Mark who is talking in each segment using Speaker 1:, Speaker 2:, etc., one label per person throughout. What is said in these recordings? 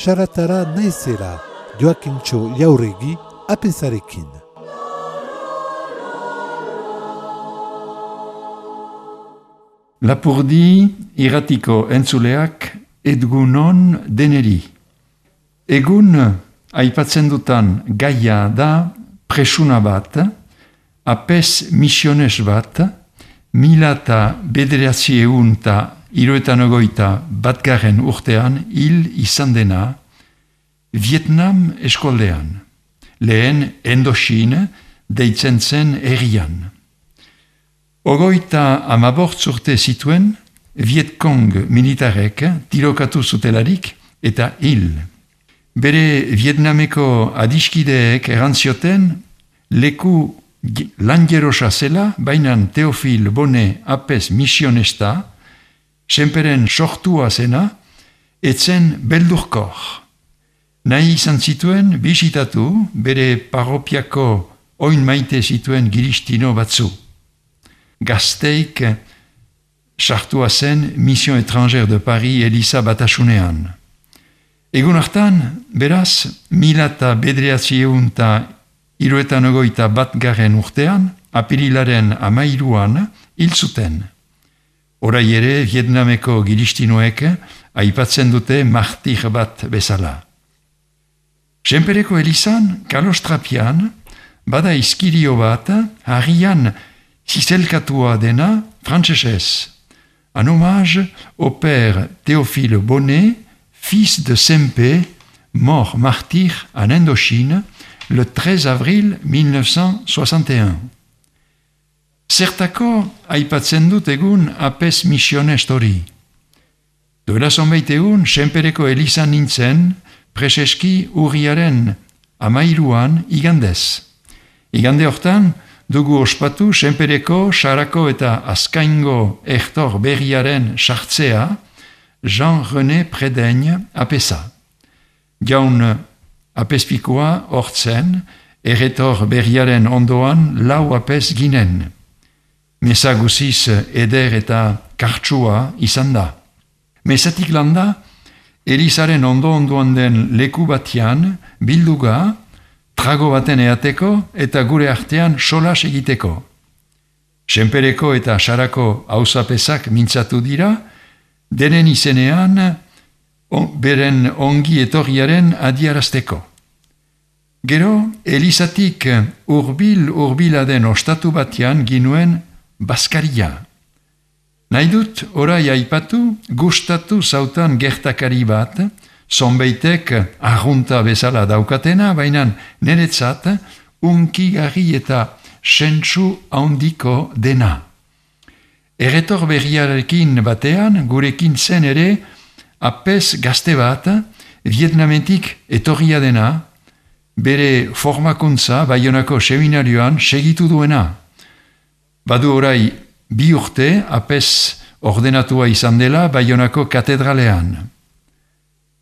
Speaker 1: Saratara naizela, Joakintxo Jauregi, apezarekin.
Speaker 2: Lapurdi irratiko entzuleak egunon deneri. Egun aipatzen dutan gaia da presuna bat, apes misiones bat, 1991 batgarren urtean hil izan dena Vietnam eskoldean, lehen Indochine deitzen zen herrian. 35 urte zituen Vietcong militarek tirokatu zutelarik eta hil. Bere Vietnameko adiskideek erantzioten leku langerosa zela, bainan Teofil Bone apes misionesta, senperen sortua zena, etzen beldurkor. Nahi izan zituen bisitatu bere parropiako oin maite zituen giristino batzu. Gazteik sartua zen Mission Étrangère de Paris Eliza batasunean. Egun hartan, beraz, 1991 urtean, apirilaren 13 hil zuten. Orai ere Vietnameko giristinoek aipatzen dute martir bat bezala. Senpereko Elizan, kalostrapian, bada izkirio bat, harrian zizelkatua dena frantsesez. En hommage au père Théophile Bonnet, fils de Sempé, mort martyr en Indochine, le 13 avril 1961. Zertako aipatzen dut egun apes misiones hori. Duela zonbait egun, Senpereko Elizan nintzen, preseski urriaren 13 igandez. Igande hortan, dugu ospatu Senpereko, Sarako eta Azkaingo ertor berriaren sartzea, Jean-René Prédaigne apesa. Jaun apespikoa hortzen, erretor berriaren ondoan lau apes ginen. Meza guziz eder eta kartsua izan da. Mezatik landa, Elizaren ondo-ondoan den leku batian, bilduga, trago baten eateko eta gure artean solas egiteko. Senpereko eta Sarako auzapesak mintzatu dira, denen izenean beren ongi etorriaren adiarazteko. Gero, Elizatik urbil den ostatu batian ginuen Baskaria. Nahi dut, orai aipatu, gustatu zautan gertakari bat, zonbeitek arrunta bezala daukatena, baina niretzat unkigarri eta sentsu handiko dena. Erretor berriarekin batean, gurekin zen ere, apes gazte bat, Vietnametik etorria dena, bere formakuntza Baionako seminarioan segitu duena. Badu orai 2 urte apes ordenatua izan dela Baionako katedralean.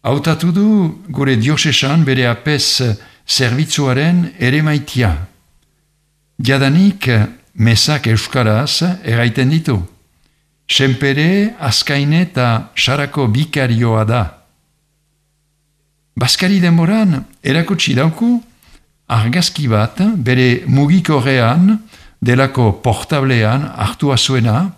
Speaker 2: Hautatu du gure diosesan bere apes zerbitzuaren ere maitia. Jadanik mesak euskaraz eraiten ditu. Senpere, Azkaine eta Sarako bikarioa da. Baskari denboran erakutsi dauku argazki bat bere mugikorrean delako portablean hartua zuena,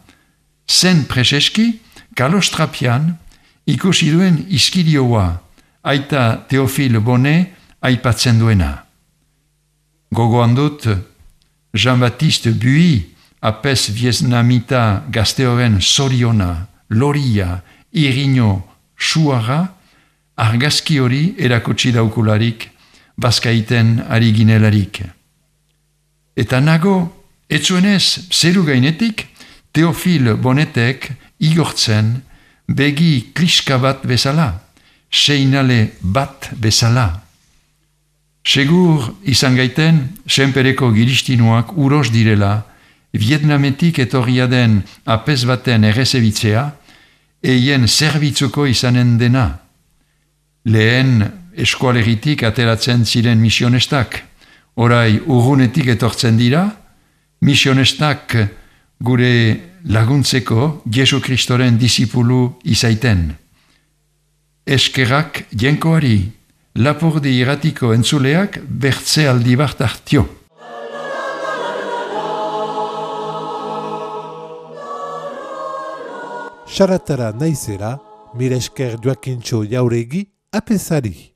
Speaker 2: zen preseski kalostrapian ikusi duen izkirioa aita Teofil Bonnet aipatzen duena. Gogoan dut Jean-Baptiste Buy apes vietnamita gazteoren zoriona, loria, irino, suara, argazki hori erakutsi daukularik, bazkaiten ari ginelarik. Eta nago, etzuenez zeru gainetik, Teofil Bonnetek igortzen begi kliska bat bezala, seinale bat bezala. Segur izan gaiten, senpereko giristinuak uros direla, Vietnametik etorria den apez baten errezebitzea, eien zerbitzuko izanen dena. Lehen eskualeritik ateratzen ziren misionestak, orai urrunetik etortzen dira, misionestak gure laguntzeko Jesu Kristoren disipulu izaiten. Eskerrak jenkoari, Lapurdi irratiko entzuleak bertze aldi bat hartio.
Speaker 1: Saratara naizela, mire esker Joakintxo Jauregi apesari.